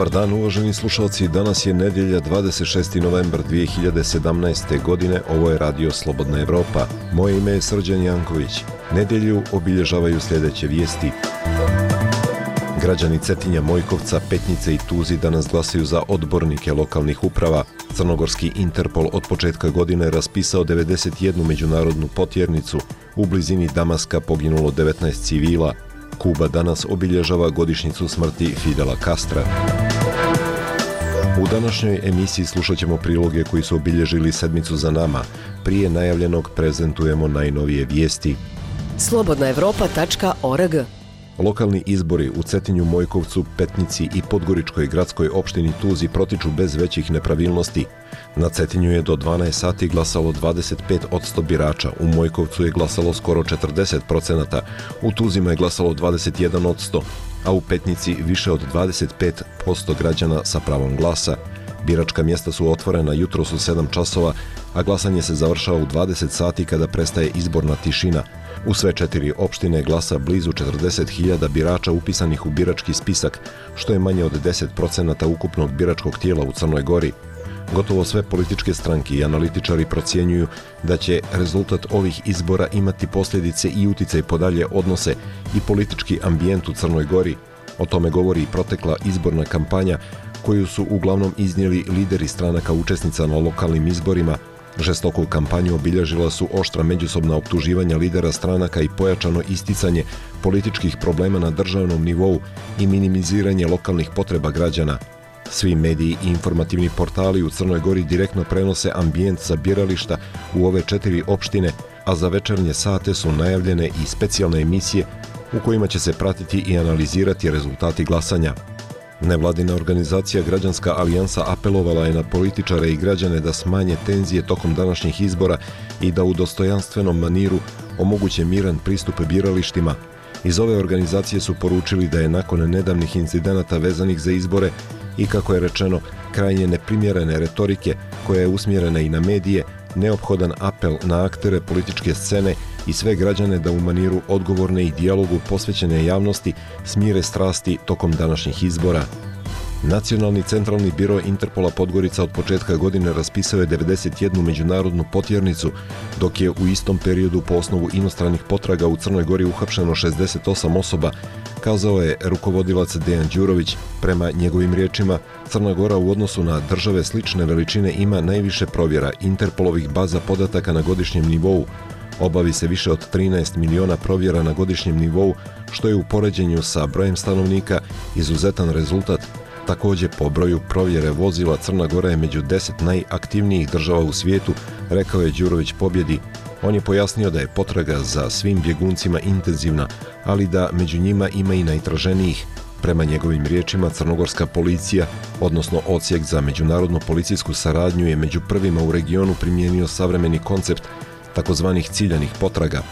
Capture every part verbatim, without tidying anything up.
Dobar dan, uvaženi slušalci. Danas je nedjelja dvadeset šesti novembar dvije hiljade sedamnaeste. godine. Ovo je Radio Slobodna Evropa. Moje ime je Srđan Janković. Nedjelju obilježavaju sljedeće vijesti. Građani Cetinja, Mojkovca, Petnice i Tuzi danas glasaju za odbornike lokalnih uprava. Crnogorski Interpol od početka godine raspisao devedeset jednu međunarodnu potjernicu. U blizini Damaska poginulo devetnaest civila. Kuba danas obilježava godišnjicu smrti Fidela Castra. U današnjoj emisiji slušat ćemo priloge koji su obilježili sedmicu za nama. Prije najavljenog prezentujemo najnovije vijesti. slobodna evropa tačka org. Lokalni izbori u Cetinju, Mojkovcu, Petnici i Podgoričkoj gradskoj opštini Tuzi protiču bez većih nepravilnosti. Na Cetinju je do dvanaest sati glasalo dvadeset pet posto birača, u Mojkovcu je glasalo skoro četrdeset posto, u Tuzima je glasalo dvadeset jedan posto, a u Petnici više od dvadeset pet posto građana sa pravom glasa. Biračka mjesta su otvorena jutros u sedam časova, a glasanje se završava u dvadeset sati kada prestaje izborna tišina. U sve četiri opštine glasa blizu četrdeset hiljada birača upisanih u birački spisak, što je manje od deset posto ukupnog biračkog tijela u Crnoj Gori. Gotovo sve političke stranke i analitičari procjenjuju da će rezultat ovih izbora imati posljedice i uticaj po dalje odnose i politički ambijent u Crnoj Gori. O tome govori i protekla izborna kampanja koju su uglavnom iznijeli lideri stranaka učesnica na lokalnim izborima. Žestoku kampanju obilježila su oštra međusobna optuživanja lidera stranaka i pojačano isticanje političkih problema na državnom nivou i minimiziranje lokalnih potreba građana. Svi mediji i informativni portali u Crnoj Gori direktno prenose ambijent sa birališta u ove četiri opštine, a za večernje sate su najavljene i specijalne emisije u kojima će se pratiti i analizirati rezultati glasanja. Nevladina organizacija Građanska alijansa apelovala je na političare i građane da smanje tenzije tokom današnjih izbora i da u dostojanstvenom maniru omoguće miran pristup biralištima. Iz ove organizacije su poručili da je nakon nedavnih incidenata vezanih za izbore i, kako je rečeno, krajnje neprimjerene retorike koja je usmjerena i na medije, neophodan apel na aktere političke scene i sve građane da u maniru odgovorne i dijalogu posvećene javnosti smire strasti tokom današnjih izbora. Nacionalni centralni biro Interpola Podgorica od početka godine raspisao je devedeset jednu međunarodnu potjernicu, dok je u istom periodu po osnovu inostranih potraga u Crnoj Gori uhapšeno šezdeset osam osoba, kazao je rukovodilac Dejan Đurović. Prema njegovim riječima, Crna Gora u odnosu na države slične veličine ima najviše provjera Interpolovih baza podataka na godišnjem nivou. Obavi se više od trinaest miliona provjera na godišnjem nivou, što je u poređenju sa brojem stanovnika izuzetan rezultat. Također, po broju provjere vozila Crna Gora je među deset najaktivnijih država u svijetu, rekao je Đurović Pobjedi. On je pojasnio da je potraga za svim bjeguncima intenzivna, ali da među njima ima i najtraženijih. Prema njegovim riječima, crnogorska policija, odnosno Odsjek za međunarodnu policijsku saradnju, je među prvima u regionu primijenio savremeni koncept takozvanih ciljanih potraga.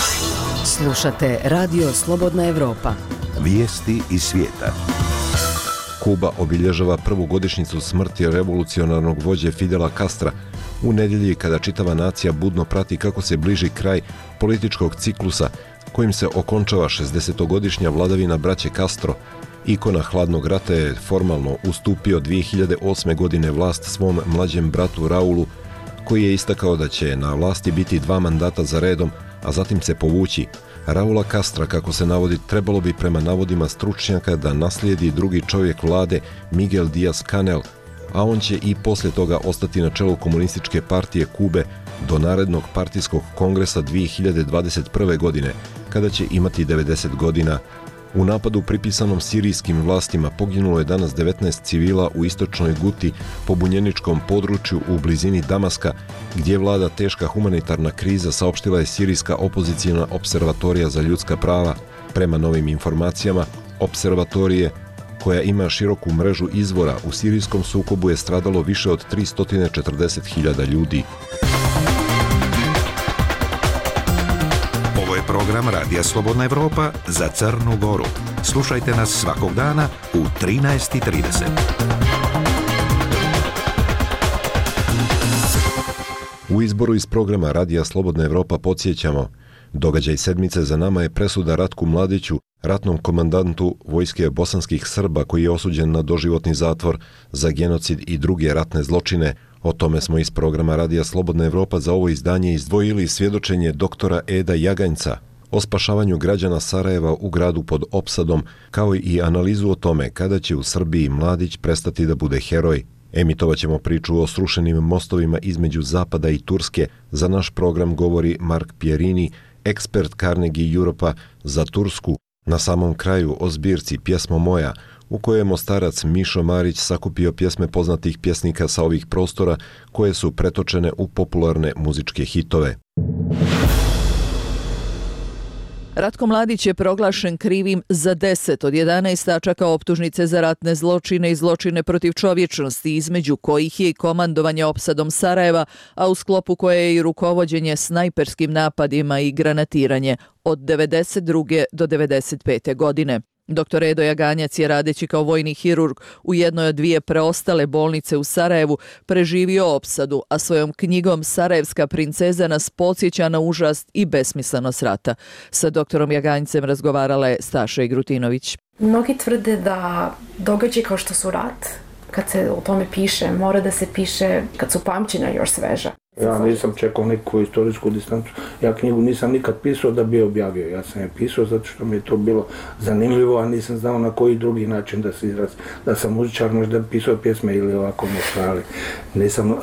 Slušate Radio Slobodna Evropa. Vijesti iz svijeta. Kuba obilježava prvu godišnjicu smrti revolucionarnog vođe Fidela Castra u nedjelji kada čitava nacija budno prati kako se bliži kraj političkog ciklusa kojim se okončava šezdesetogodišnja vladavina braće Castro. Ikona hladnog rata je formalno ustupio dvije hiljade osme. godine vlast svom mlađem bratu Raulu, koji je istakao da će na vlasti biti dva mandata za redom, a zatim se povući. Raula Castra, kako se navodi, trebalo bi prema navodima stručnjaka da naslijedi drugi čovjek vlade Miguel Díaz-Canel, a on će i poslije toga ostati na čelu komunističke partije Kube do narednog partijskog kongresa dvije hiljade dvadeset prve. godine, kada će imati devedeset godina. U napadu pripisanom sirijskim vlastima poginulo je danas devetnaest civila u istočnoj Guti, pobunjeničkom području u blizini Damaska, gdje vlada teška humanitarna kriza, saopštila je sirijska opozicijna observatorija za ljudska prava. Prema novim informacijama, observatorije, koja ima široku mrežu izvora, u sirijskom sukobu je stradalo više od tristo četrdeset hiljada ljudi. Ovo je program Radija Slobodna Evropa za Crnu Goru. Slušajte nas svakog dana u trinaest i trideset. U izboru iz programa Radija Slobodna Evropa podsjećamo, Događaj sedmice za nama je presuda Ratku Mladiću, ratnom komandantu vojske bosanskih Srba koji je osuđen na doživotni zatvor za genocid i druge ratne zločine. O tome smo iz programa Radija Slobodna Evropa za ovo izdanje izdvojili svjedočenje doktora Eda Jaganjca o spašavanju građana Sarajeva u gradu pod opsadom, kao i analizu o tome kada će u Srbiji Mladić prestati da bude heroj. Emitovat ćemo priču o srušenim mostovima između Zapada i Turske. Za naš program govori Mark Pierini, ekspert Carnegie Europa za Tursku. Na samom kraju o zbirci Pjesmo moja, u kojoj je Mostarac Mišo Marić sakupio pjesme poznatih pjesnika sa ovih prostora koje su pretočene u popularne muzičke hitove. Ratko Mladić je proglašen krivim za deset od jedanaest tačaka optužnice za ratne zločine i zločine protiv čovječnosti, između kojih je i komandovanje opsadom Sarajeva, a u sklopu koje je i rukovođenje snajperskim napadima i granatiranje od devedeset druge do devedeset pete godine. doktor Edo Jaganjac je, radeći kao vojni hirurg u jednoj od dvije preostale bolnice u Sarajevu, preživio opsadu, a svojom knjigom Sarajevska princeza nas podsjeća na užas i besmislenost rata. Sa doktorom Jaganjcem razgovarala je Staša Igrutinović. Mnogi tvrde da događaji kao što su rat, kad se o tome piše, mora da se piše kad su pamćenja još sveža. Ja nisam čekao neku istorijsku distancu. Ja knjigu nisam nikad pisao da bi objavio. Ja sam je pisao zato što mi je to bilo zanimljivo, a nisam znao na koji drugi način da se izraz. Da sam muzičar, možda bi pisao pjesme ili ovako nešto, ali nisam, uh,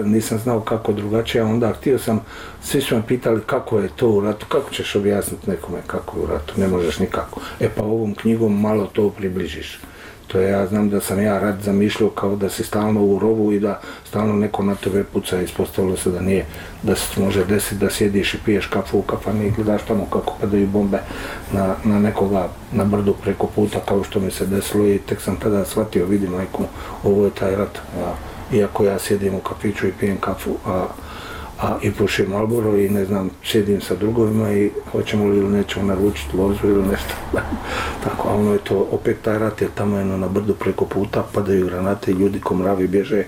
nisam znao kako drugačije. A onda htio sam, svi su me pitali kako je to u ratu, kako ćeš objasniti nekome kako je u ratu, ne možeš nikako. E pa ovom knjigom malo to približiš. To je, ja znam da sam ja rat zamišljao kao da si stalno u rovu i da stalno neko na tebe puca. Ispostavilo se da nije, da se može desiti da sjediš i piješ kafu u kafani i gledaš tamo kako padaju bombe na, na nekoga na brdu preko puta, kao što mi se desilo, i tek sam tada shvatio, vidi majku, ovo je taj rat. A, iako ja sjedim u kafiću i pijem kafu, a a i pušim Marlboro i ne znam, sjedim sa drugovima i hoćemo li ili nećemo naručiti lozu ili nešto. Tako, a ono je to, opet taj rat je tamo jedno na brdu preko puta, padaju granate i ljudi ko mravi bježe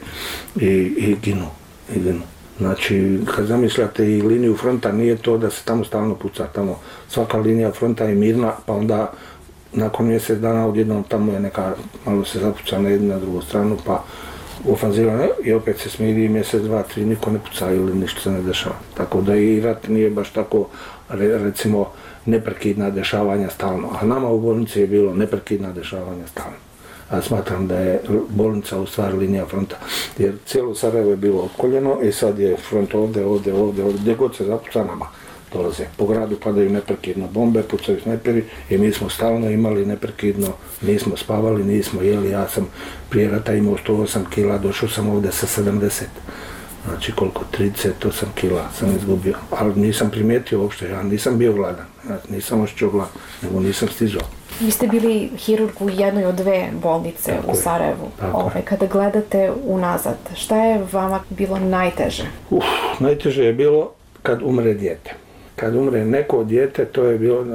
i, i ginu, i ginu. Znači, kad zamišljate i liniju fronta, nije to da se tamo stalno puca, tamo svaka linija fronta je mirna, pa onda nakon mjesec dana odjednom tamo je neka, malo se zapuca na jednu na drugu stranu, pa ofanziva i opet se smiri mjesec, dva, tri, niko ne puca ili ništa se ne dešava. Tako da i rat nije baš tako, recimo, neprekidna dešavanja stalno. A nama u bolnici je bilo neprekidna dešavanja stalno. A smatram da je bolnica u stvari linija fronta. Jer cijelo Sarajevo je bilo opkoljeno i sad je front ovdje, ovdje, ovdje, ovdje, gdje god se zapuca nama dolaze. Po gradu padaju neprekidno bombe, pucaju snajperi i mi smo stalno imali neprekidno, nismo spavali, nismo jeli. Ja sam prije rata imao sto osam kila, došao sam ovdje sa sedamdeset. Znači koliko, trideset osam kila sam izgubio. Ali nisam primijetio uopšte, ja nisam bio gladan. Ja nisam osjećao glad, nego nisam stizao. Vi ste bili hirurg u jednoj od dve bolnice tako u Sarajevu. Ove, kada gledate unazad, šta je vama bilo najteže? Uf, najteže je bilo kad umre dijete. Kad umre neko dijete, to je bilo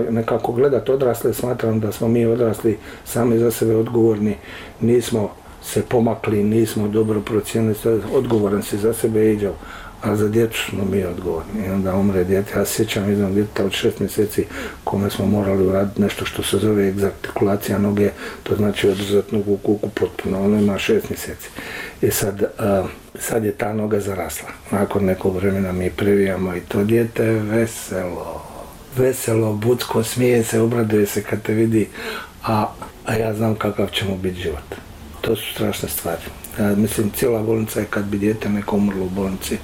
nekako gledat odrasle, smatram da smo mi odrasli sami za sebe odgovorni, nismo se pomakli, nismo dobro procijenili, odgovoran si za sebe iđao, a za djecu smo mi odgovorni. I onda umre dijete, ja se sjećam jednog djeteta od šest mjeseci kome smo morali uraditi nešto što se zove egzartikulacija noge, to znači održati nogu u kuku potpuno, ono ima šest mjeseci. I sad, uh, sad je ta noga zarasla. Nakon nekog vremena mi previjamo i to dijete veselo, veselo, bucko, smije se, obraduje se kad te vidi, a, a ja znam kakav će mu biti život. To su strašne stvari. Ja mislim, cijela bolnica je kad bi dijete neko umrlo u bolnici,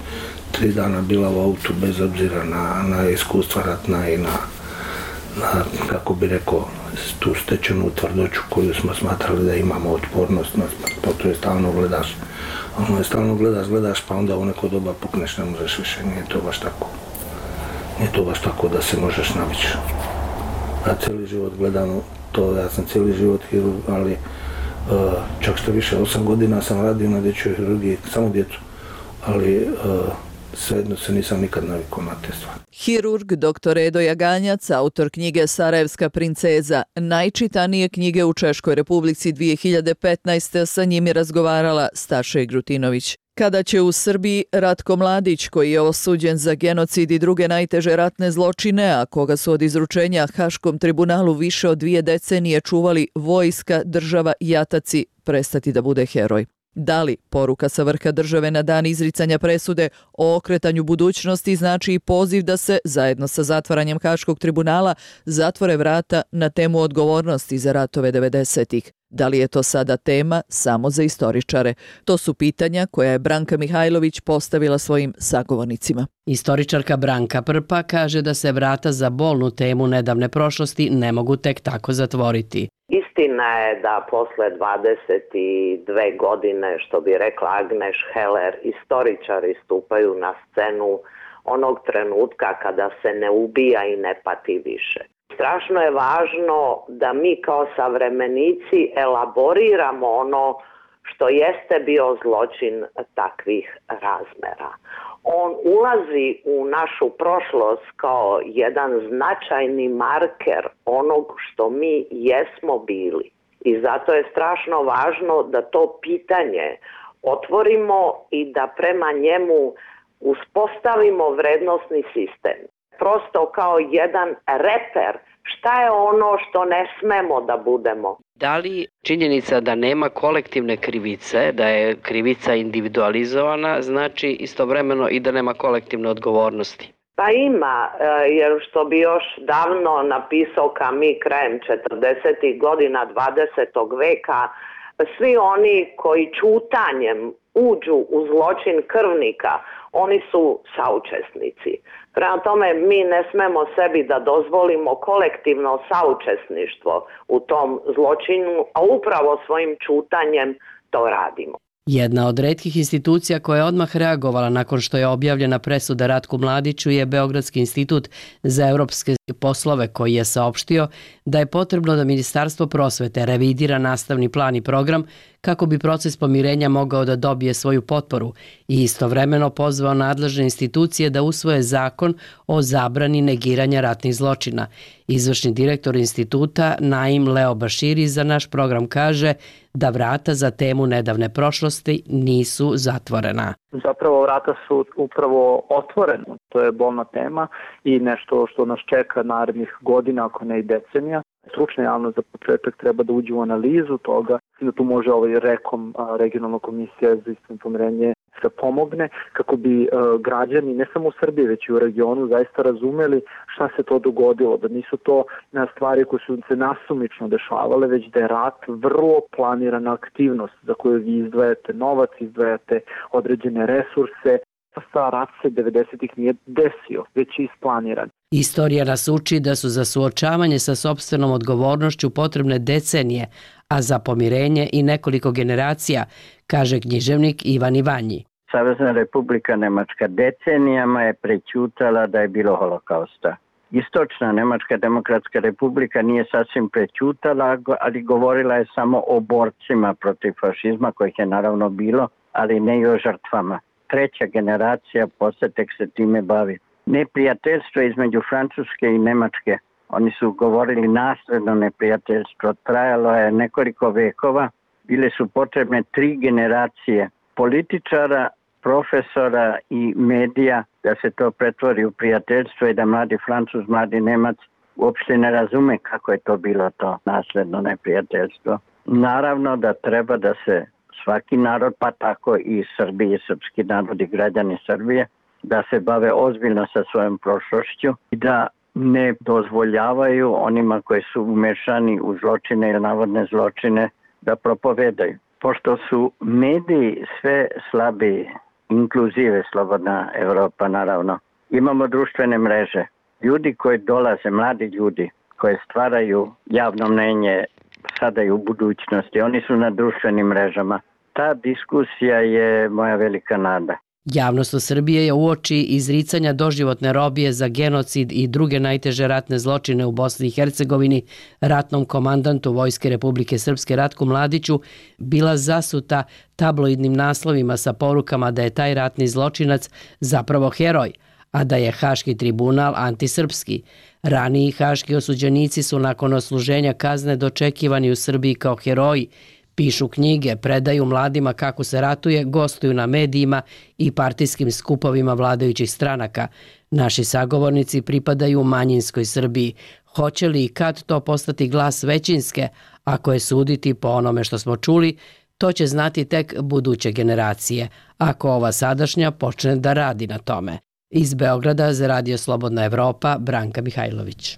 tri dana bila u autu bez obzira na, na iskustva ratna i na, na, kako bi rekao, tu stečenu tvrdoću koju smo smatrali da imamo otpornost, na, pa to je stalno gledaš. Ono je stalno gledaš, gledaš, pa onda u neko doba pukneš, ne možeš više, nije to baš tako. Nije to baš tako da se možeš navići. Ja cijeli život gledam to, ja sam cijeli život hirurg, ali Uh, čak što više, osam godina sam radio na dječjoj hirurgiji, samo djecu, ali uh, svejedno se nisam nikad navikao na te stvari. Hirurg doktor Edo Jaganjac, autor knjige Sarajevska princeza, najčitanije knjige u Češkoj Republici dvije hiljade petnaeste. Sa njim je razgovarala Staša Igrutinović. Kada će u Srbiji Ratko Mladić, koji je osuđen za genocid i druge najteže ratne zločine, a koga su od izručenja Haškom tribunalu više od dvije decenije čuvali vojska, država i jataci, prestati da bude heroj? Da li poruka sa vrha države na dan izricanja presude o okretanju budućnosti znači i poziv da se, zajedno sa zatvaranjem Haškog tribunala, zatvore vrata na temu odgovornosti za ratove devedesetih? Da li je to sada tema samo za istoričare? To su pitanja koja je Branka Mihajlović postavila svojim sagovornicima. Istoričarka Branka Prpa kaže da se vrata za bolnu temu nedavne prošlosti ne mogu tek tako zatvoriti. Istina je da posle dvadeset dve godine, što bi rekla Agneš Heller, istoričari stupaju na scenu onog trenutka kada se ne ubija i ne pati više. Strašno je važno da mi kao savremenici elaboriramo ono što jeste bio zločin takvih razmera. On ulazi u našu prošlost kao jedan značajni marker onog što mi jesmo bili. I zato je strašno važno da to pitanje otvorimo i da prema njemu uspostavimo vrednosni sistem. Prosto kao jedan reper šta je ono što ne smemo da budemo. Da li činjenica da nema kolektivne krivice, da je krivica individualizovana, znači istovremeno i da nema kolektivne odgovornosti? Pa ima, jer što bi još davno napisao Camus krajem četrdesetih godina dvadesetog veka, svi oni koji ćutanjem uđu u zločin krvnika, oni su saučesnici. Prema tome, mi ne smemo sebi da dozvolimo kolektivno saučesništvo u tom zločinu, a upravo svojim ćutanjem to radimo. Jedna od retkih institucija koja je odmah reagovala nakon što je objavljena presuda Ratku Mladiću je Beogradski institut za evropske poslove, koji je saopštio da je potrebno da Ministarstvo prosvete revidira nastavni plan i program kako bi proces pomirenja mogao da dobije svoju potporu i istovremeno pozvao nadležne institucije da usvoje zakon o zabrani negiranja ratnih zločina. Izvršni direktor instituta Naim Leo Baširi za naš program kaže da vrata za temu nedavne prošlosti nisu zatvorena. Zapravo vrata su upravo otvorena. To je bolna tema i nešto što nas čeka narednih godina, ako ne i decenija. Stručna javnost za početak treba da uđe u analizu toga i da tu može ovaj rekom, regionalna komisija za istinito pomirenje, da pomogne kako bi građani ne samo u Srbiji već i u regionu zaista razumeli šta se to dogodilo, da nisu to stvari koje su se nasumično dešavale, već da je rat vrlo planirana aktivnost za koju vi izdvajate novac, izdvajate određene resurse. Sa rat se devedesetih nije desio, već je isplaniran. Istorija nas uči da su za suočavanje sa sopstvenom odgovornošću potrebne decenije, a za pomirenje i nekoliko generacija, kaže književnik Ivan Ivanji. Savezna Republika Nemačka decenijama je prećutala da je bilo holokausta. Istočna Nemačka demokratska republika nije sasvim prećutala, ali govorila je samo o borcima protiv fašizma, kojih je naravno bilo, ali ne i o žrtvama. Treća generacija posle tek se time bavi. Neprijateljstvo između Francuske i Nemačke, oni su govorili nasledno neprijateljstvo, trajalo je nekoliko vekova, bile su potrebne tri generacije političara, profesora i medija da se to pretvori u prijateljstvo i da mladi Francuz, mladi Nemac uopšte ne razume kako je to bilo to nasledno neprijateljstvo. Naravno da treba da se svaki narod, pa tako i Srbije, srpski narod i građani Srbije, da se bave ozbiljno sa svojom prošlošću i da ne dozvoljavaju onima koji su umešani u zločine ili navodne zločine da propovedaju. Pošto su mediji sve slabiji, inkluzive Slobodna Evropa naravno, imamo društvene mreže. Ljudi koji dolaze, mladi ljudi koji stvaraju javno mnenje sada i u budućnosti, oni su na društvenim mrežama. Ta diskusija je moja velika nada. Javnost u Srbiji je uoči izricanja doživotne robije za genocid i druge najteže ratne zločine u Bosni i Hercegovini ratnom komandantu Vojske Republike Srpske Ratku Mladiću bila zasuta tabloidnim naslovima sa porukama da je taj ratni zločinac zapravo heroj, a da je Haški tribunal antisrpski. Raniji haški osuđenici su nakon odsluženja kazne dočekivani u Srbiji kao heroji, Pišu knjige, predaju mladima kako se ratuje, gostuju na medijima i partijskim skupovima vladajućih stranaka. Naši sagovornici pripadaju manjinskoj Srbiji. Hoće li i kad to postati glas većinske? Ako je suditi po onome što smo čuli, to će znati tek buduće generacije, ako ova sadašnja počne da radi na tome. Iz Beograda za Radio Slobodna Evropa, Branka Mihajlović.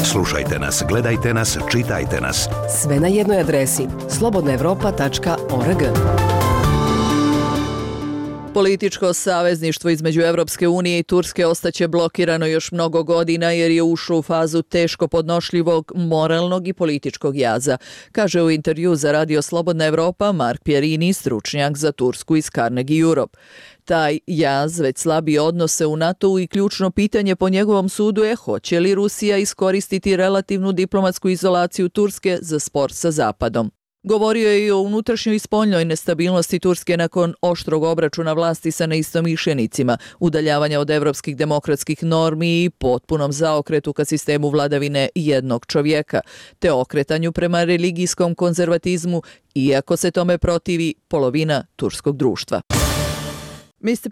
Slušajte nas, gledajte nas, čitajte nas. Sve na jednoj adresi slobodna evropa tačka org. Političko savezništvo između Evropske unije i Turske ostaće blokirano još mnogo godina jer je ušlo u fazu teško podnošljivog moralnog i političkog jaza, kaže u intervju za Radio Slobodna Evropa Mark Pierini, stručnjak za Tursku iz Carnegie Europe. Taj jaz već slabi odnose u NATO-u i ključno pitanje po njegovom sudu je hoće li Rusija iskoristiti relativnu diplomatsku izolaciju Turske za spor sa Zapadom. Govorio je i o unutrašnjoj i spoljnoj nestabilnosti Turske nakon oštrog obračuna vlasti sa neistomišljenicima, udaljavanja od evropskih demokratskih normi i potpunom zaokretu ka sistemu vladavine jednog čovjeka, te okretanju prema religijskom konzervatizmu, iako se tome protivi polovina turskog društva.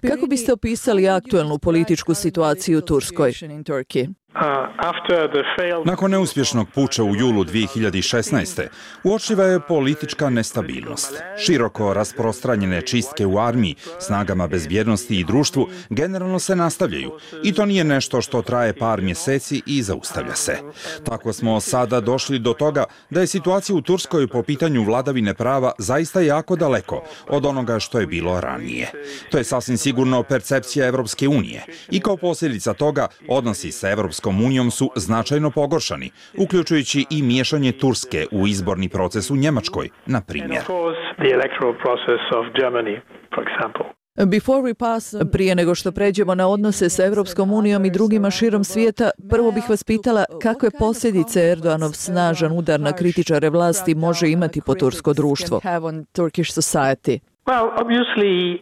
Kako biste opisali aktuelnu političku situaciju u Turskoj? Nakon neuspješnog puča u julu dvije hiljade šesnaeste. uočljiva je politička nestabilnost. Široko rasprostranjene čistke u armiji, snagama bezbjednosti i društvu generalno se nastavljaju i to nije nešto što traje par mjeseci i zaustavlja se. Tako smo sada došli do toga da je situacija u Turskoj po pitanju vladavine prava zaista jako daleko od onoga što je bilo ranije. To je sasvim sigurno percepcija Evropske unije i kao posljedica toga odnosi sa Evropskom unijom su značajno pogoršani, uključujući i miješanje Turske u izborni proces u Njemačkoj, na primjer. Prije nego što pređemo na odnose sa Evropskom unijom i drugima širom svijeta, prvo bih vas pitala kakve posljedice Erdoganov snažan udar na kritičare vlasti može imati po tursko društvo.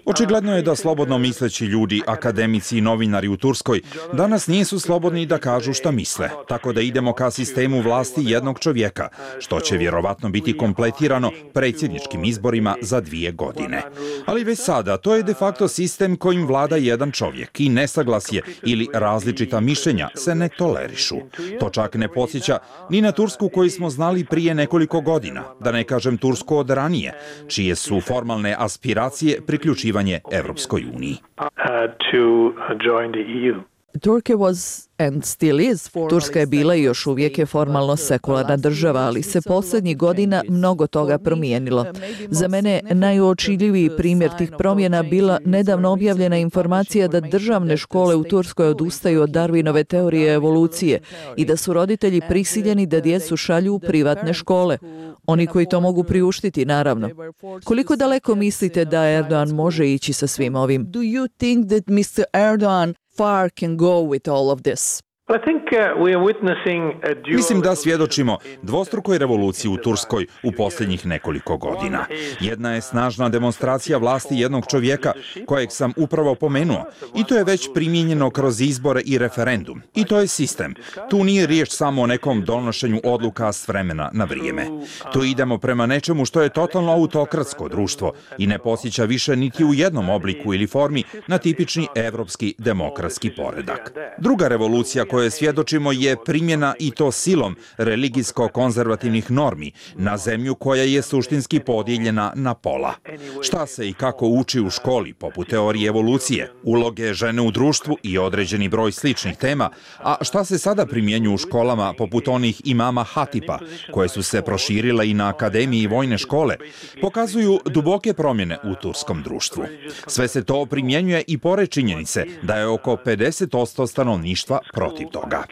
Očigledno je da slobodno misleći ljudi, akademici i novinari u Turskoj danas nisu slobodni da kažu šta misle, tako da idemo ka sistemu vlasti jednog čovjeka, što će vjerovatno biti kompletirano predsjedničkim izborima za dvije godine. Ali već sada to je de facto sistem kojim vlada jedan čovjek i nesaglasje ili različita mišljenja se ne tolerišu. To čak ne podsjeća ni na Tursku koju smo znali prije nekoliko godina, da ne kažem Tursku od ranije, čije su formalne aspiracije priključivanje Evropskoj uniji. Turska je bila i još uvijek je formalno sekularna država, ali se posljednjih godina mnogo toga promijenilo. Za mene najuočljiviji primjer tih promjena bila nedavno objavljena informacija da državne škole u Turskoj odustaju od Darwinove teorije evolucije i da su roditelji prisiljeni da djecu šalju u privatne škole. Oni koji to mogu priuštiti, naravno. Koliko daleko mislite da Erdogan može ići sa svim ovim? Do you think that mister Erdogan far can go with all of this? Mislim da svjedočimo dvostrukoj revoluciji u Turskoj u posljednjih nekoliko godina. Jedna je snažna demonstracija vlasti jednog čovjeka, kojeg sam upravo pomenuo, i to je već primijenjeno kroz izbore i referendum. I to je sistem. Tu nije riječ samo o nekom donošenju odluka s vremena na vrijeme. Tu idemo prema nečemu što je totalno autokratsko društvo i ne posjeća više niti u jednom obliku ili formi na tipični evropski demokratski poredak. Druga revolucija koje svjedočimo je primjena i to silom religijsko-konzervativnih normi na zemlju koja je suštinski podijeljena na pola. Šta se i kako uči u školi, poput teorije evolucije, uloge žene u društvu i određeni broj sličnih tema, a šta se sada primjenju u školama poput onih imama Hatipa, koje su se proširile i na akademiji i vojne škole, pokazuju duboke promjene u turskom društvu. Sve se to primjenjuje i pored činjenice da je oko pedeset posto stanovništva protiv toga.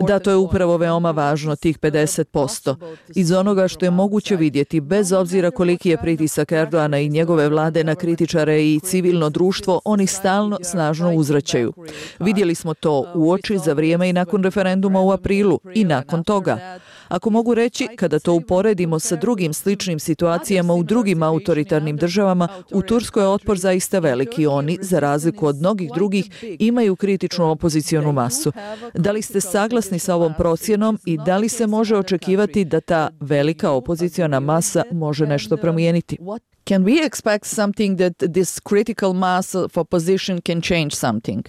Da, to je upravo veoma važno, tih pedeset posto. Iz onoga što je moguće vidjeti, bez obzira koliki je pritisak Erdogana i njegove vlade na kritičare i civilno društvo, oni stalno snažno uzvraćaju. Vidjeli smo to u oči za vrijeme i nakon referenduma u aprilu i nakon toga. Ako mogu reći, kada to uporedimo sa drugim sličnim situacijama u drugim autoritarnim državama, u Turskoj je otpor zaista veliki. Oni, za razliku od mnogih drugih, imaju kritičnu opozicionu masu. Da li ste saglasni sa ovom procjenom i da li se može očekivati da ta velika opoziciona masa može nešto promijeniti? Can we expect something that this critical mass of opposition can change something?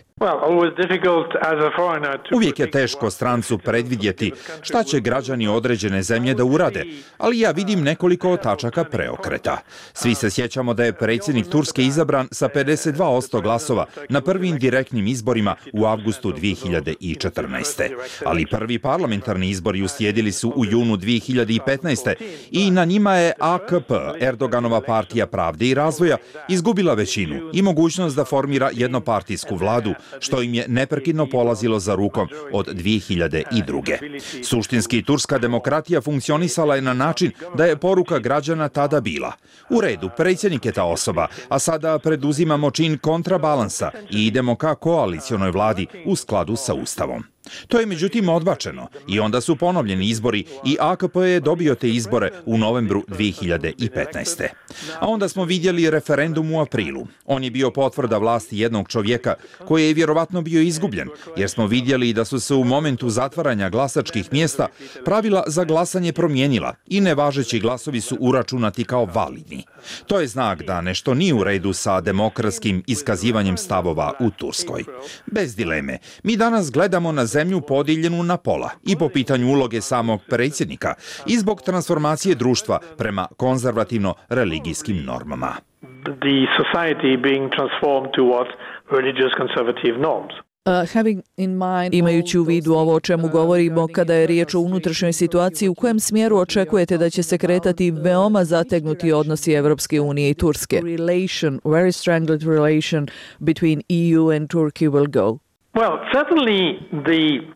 Uvijek je teško strancu predvidjeti šta će građani određene zemlje da urade, ali ja vidim nekoliko tačaka preokreta. Svi se sjećamo da je predsjednik Turske izabran sa pedeset dva posto glasova na prvim direktnim izborima u avgustu dvije hiljade četrnaeste. Ali prvi parlamentarni izbori uslijedili su u junu dvije hiljade petnaeste. i na njima je A K P, Erdoganova partija pravde i razvoja, izgubila većinu i mogućnost da formira jednopartijsku vladu, što im je neprekidno polazilo za rukom od dvije hiljade druge. Suštinski, turska demokratija funkcionisala je na način da je poruka građana tada bila: u redu, predsjednik je ta osoba, a sada preduzimamo čin kontrabalansa i idemo ka koalicionoj vladi u skladu sa Ustavom. To je međutim odbačeno i onda su ponovljeni izbori i A K P je dobio te izbore u novembru dvije hiljade petnaeste. A onda smo vidjeli referendum u aprilu. On je bio potvrda vlasti jednog čovjeka koji je vjerovatno bio izgubljen, jer smo vidjeli da su se u momentu zatvaranja glasačkih mjesta pravila za glasanje promijenila i nevažeći glasovi su uračunati kao validni. To je znak da nešto nije u redu sa demokratskim iskazivanjem stavova u Turskoj. Bez dileme, mi danas gledamo na zemlju podijeljenu na pola i po pitanju uloge samog predsjednika i zbog transformacije društva prema konzervativno-religijskim normama. The society being transformed towards religious conservative norms. Imajući u vidu ovo o čemu govorimo kada je riječ o unutrašnjoj situaciji, u kojem smjeru očekujete da će se kretati veoma zategnuti odnosi Evropske unije i Turske? Relation, very strangled relation between E U and Turkey will go. Well, certainly the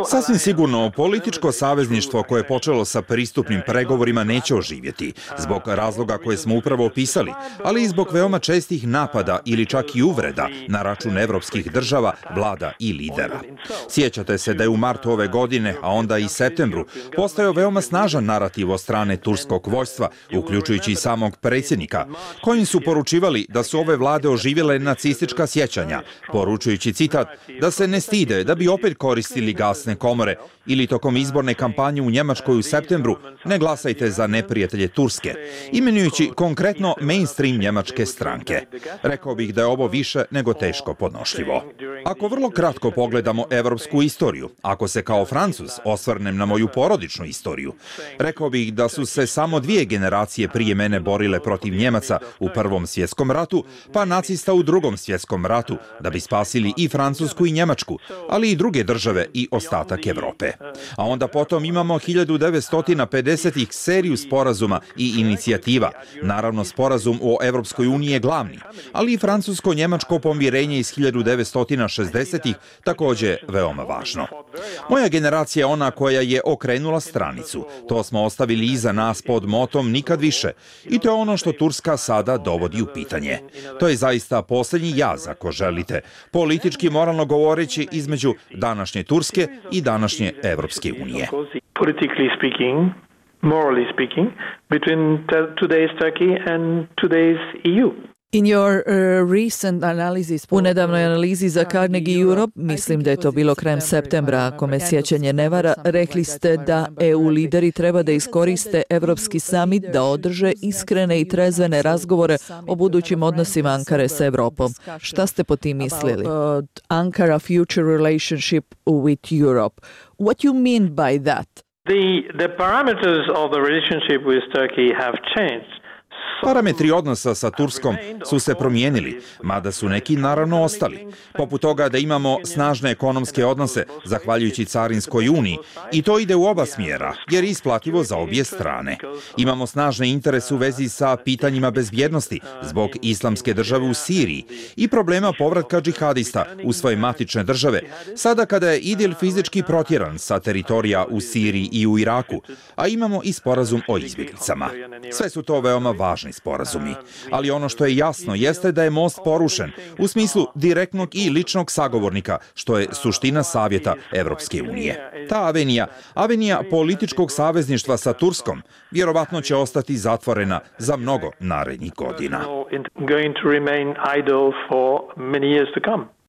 Sasvim sigurno, političko savezništvo koje je počelo sa pristupnim pregovorima neće oživjeti, zbog razloga koje smo upravo opisali, ali i zbog veoma čestih napada ili čak i uvreda na račun evropskih država, vlada i lidera. Sjećate se da je u martu ove godine, a onda i septembru, postojao veoma snažan narativ od strane turskog vojstva, uključujući i samog predsjednika, kojim su poručivali da su ove vlade oživjele nacistička sjećanja, poručujući citat da se ne stide da bi opet koristili ili gasne komore ili tokom izborne kampanje u Njemačkoj u septembru ne glasajte za neprijatelje Turske, imenujući konkretno mainstream njemačke stranke. Rekao bih da je ovo više nego teško podnošljivo. Ako vrlo kratko pogledamo evropsku istoriju, ako se kao Francuz osvrnem na moju porodičnu istoriju, rekao bih da su se samo dvije generacije prije mene borile protiv Njemaca u Prvom svjetskom ratu, pa nacista u Drugom svjetskom ratu, da bi spasili i Francusku i Njemačku, ali i druge države i ostatak Evrope. A onda potom imamo hiljadu devetsto pedesetih seriju sporazuma i inicijativa. Naravno, sporazum o Evropskoj uniji je glavni, ali i francusko-njemačko pomirenje iz hiljadu devetsto šezdesetih također veoma važno. Moja generacija je ona koja je okrenula stranicu. To smo ostavili iza nas pod motom nikad više. I to je ono što Turska sada dovodi u pitanje. To je zaista posljednji jaz, ako želite, politički moralno govoreći, između današnje Turske i današnje Evropske unije. Politically speaking, morally speaking, between today's Turkey and today's E U. In your uh, recent analysis, u nedavnoj analizi za Carnegie Europe, mislim da je to bilo krajem septembra, ako me sjećanje ne vara, rekli ste da E U lideri treba da iskoriste Evropski summit da održe iskrene i trezvene razgovore o budućim odnosima Ankare sa Evropom. Šta ste po tim mislili? Uh, Ankara future relationship with Europe. What you mean by that? The, the parameters of the relationship with Turkey have changed. Parametri odnosa sa Turskom su se promijenili, mada su neki naravno ostali. Poput toga da imamo snažne ekonomske odnose, zahvaljujući Carinskoj uniji, i to ide u oba smjera, jer je isplativo za obje strane. Imamo snažne interese u vezi sa pitanjima bezbjednosti, zbog islamske države u Siriji i problema povratka džihadista u svoje matične države, sada kada je Idil fizički protjeran sa teritorija u Siriji i u Iraku, a imamo i sporazum o izbjeglicama. Sve su to veoma važne vazdušni sporazumi. Ali ono što je jasno jeste da je most porušen u smislu direktnog i ličnog sagovornika, što je suština savjeta Evropske unije. Ta avenija, avenija političkog savezništva sa Turskom, vjerovatno će ostati zatvorena za mnogo narednih godina.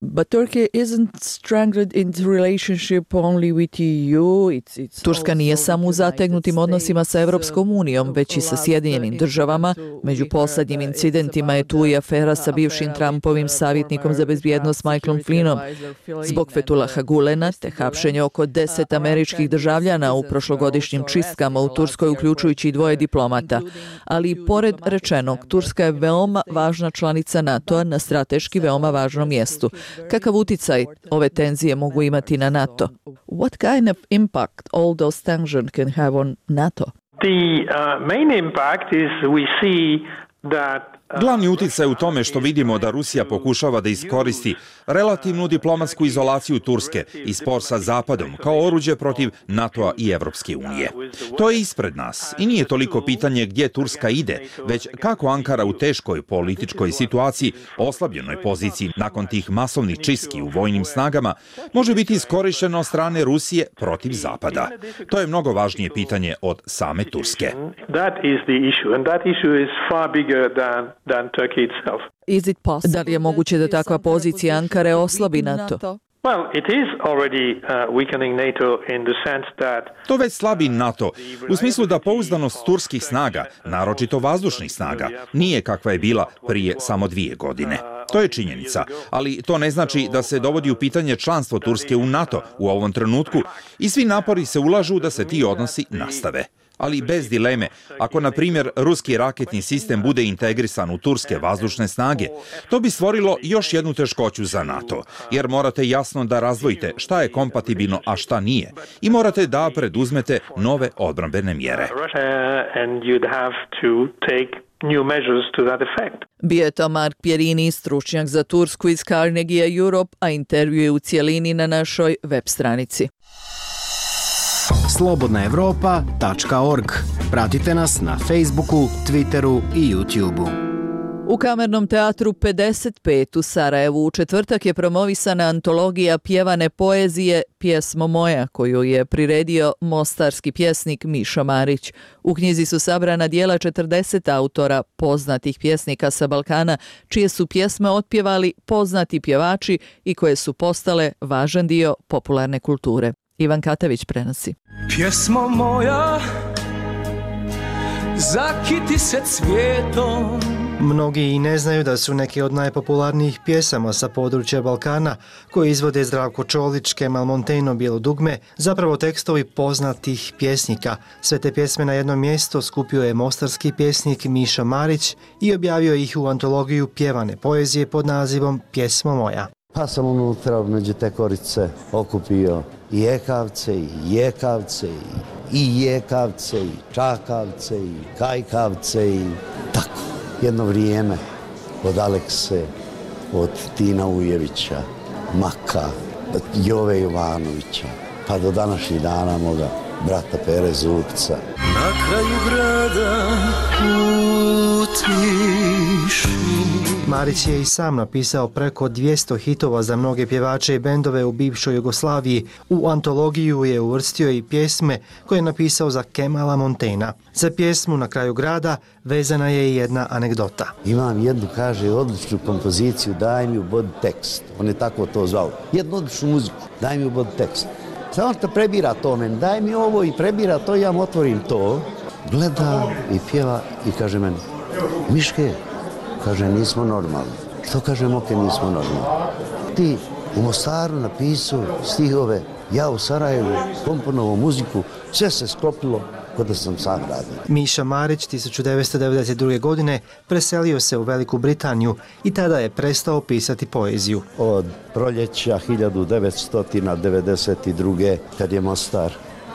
But Turkey isn't strangled into relationship only with E U. It's, it's Turska nije samo u zategnutim odnosima sa Evropskom unijom, već i sa Sjedinjenim državama. Među poslednjim incidentima je tu i afera sa bivšim Trumpovim savjetnikom za bezbjednost Michaelom Flynnom. Zbog Fethullaha Gulena te hapšenja oko deset američkih državljana u prošlogodišnjim čistkama u Turskoj, uključujući i dvoje diplomata. Ali pored rečenog, Turska je veoma važna članica NATO-a na strateški veoma važnom mjestu. Kakav uticaj ove tenzije mogu imati na NATO? What kind of impact all those tensions can have on NATO? The uh, main impact is we see that Glavni uticaj u tome što vidimo da Rusija pokušava da iskoristi relativnu diplomatsku izolaciju Turske i spor sa Zapadom kao oruđe protiv NATO-a i Evropske unije. To je ispred nas i nije toliko pitanje gdje Turska ide, već kako Ankara u teškoj političkoj situaciji, oslabljenoj poziciji nakon tih masovnih čistki u vojnim snagama, može biti iskorištena od strane Rusije protiv Zapada. To je mnogo važnije pitanje od same Turske. That is the issue, and that issue is far bigger than than Turkey itself. Is it possible? Da li je moguće da takva pozicija Ankare oslabi NATO? Well, it is already uh, weakening NATO in the sense that To već slabi NATO, u smislu da pouzdanost turskih snaga, naročito vazdušnih snaga, nije kakva je bila prije samo dvije godine. To je činjenica, ali to ne znači da se dovodi u pitanje članstvo Turske u NATO u ovom trenutku i svi napori se ulažu da se ti odnosi nastave. Ali bez dileme, ako na primjer ruski raketni sistem bude integrisan u turske vazdušne snage, to bi stvorilo još jednu teškoću za NATO, jer morate jasno da razdvojite šta je kompatibilno, a šta nije, i morate da preduzmete nove odbrambene mjere. Bio je to Mark Pierini, stručnjak za Tursku iz Carnegie Europe, a intervju je u cijelini na našoj web stranici. slobodna evropa tačka org. Pratite nas na Facebooku, Twitteru i YouTubeu. U Kamernom teatru pedeset pet u Sarajevu u četvrtak je promovisana antologija pjevane poezije Pjesmo moja, koju je priredio mostarski pjesnik Mišo Marić. U knjizi su sabrana dijela četrdeset autora, poznatih pjesnika sa Balkana, čije su pjesme otpjevali poznati pjevači i koje su postale važan dio popularne kulture. Ivan Katavić prenosi. Pjesmo moja, zakiti se cvijetom. Mnogi i ne znaju da su neki od najpopularnijih pjesama sa područja Balkana, koje izvode Zdravko Čolić, Kemal Monteno, Bijelo dugme, zapravo tekstovi poznatih pjesnika. Sve te pjesme na jedno mjesto skupio je mostarski pjesnik Mišo Marić i objavio ih u antologiju pjevane poezije pod nazivom Pjesmo moja. Pa sam unutra među te korice okupio i ekavce, i jekavce, i jekavce, i čakavce, i kajkavce, i tako. Jedno vrijeme od Alekse, od Tina Ujevića, Maka, Jove Jovanovića, pa do današnjih dana moga brata Pere Zupca. Na kraju grada u tišini. Marić je i sam napisao preko dvjesto hitova za mnoge pjevače i bendove u bivšoj Jugoslaviji. U antologiju je uvrstio i pjesme koje je napisao za Kemala Montena. Za pjesmu Na kraju grada vezana je i jedna anegdota. Imam jednu, kaže, odličnu kompoziciju, daj mi u bod tekst. On je tako to zvao. Jednu odličnu muziku, daj mi u bod tekst. Samo što prebira to meni, daj mi ovo i prebira to, ja mu otvorim to. Gleda i pjeva i kaže meni, Miške, kaže, nismo normalni. Što kaže Moke, nismo normalni? Ti u Mostaru napisao stihove, ja u Sarajevu komponovao muziku, sve se sklopilo kod da sam sam radio. Miša Marić tisuću devetsto devedeset druge. godine preselio se u Veliku Britaniju i tada je prestao pisati poeziju. Od proljeća hiljadu devetsto devedeset druge. kad je Mostar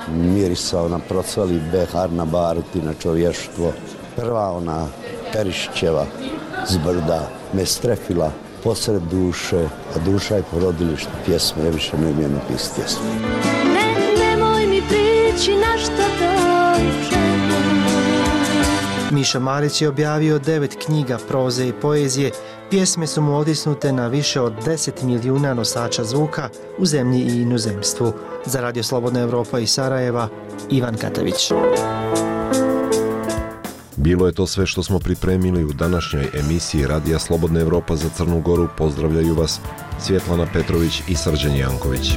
mirisao na procvali behar na baruti, na čovještvo, prva ona Perišićeva zbrda me strefila posred duše, a duša je porodilište pjesme, ja više ne umijem napisati pjesme. Ne, nemoj mi prići na što dođe. Miša Marić je objavio devet knjiga proze i poezije. Pjesme su mu odisnute na više od deset milijuna nosača zvuka u zemlji i inozemstvu. Za Radio Slobodna Evropa iz Sarajeva, Ivan Katavić. Bilo je to sve što smo pripremili u današnjoj emisiji Radija Slobodna Evropa za Crnu Goru. Pozdravljaju vas Svjetlana Petrović i Srđan Janković.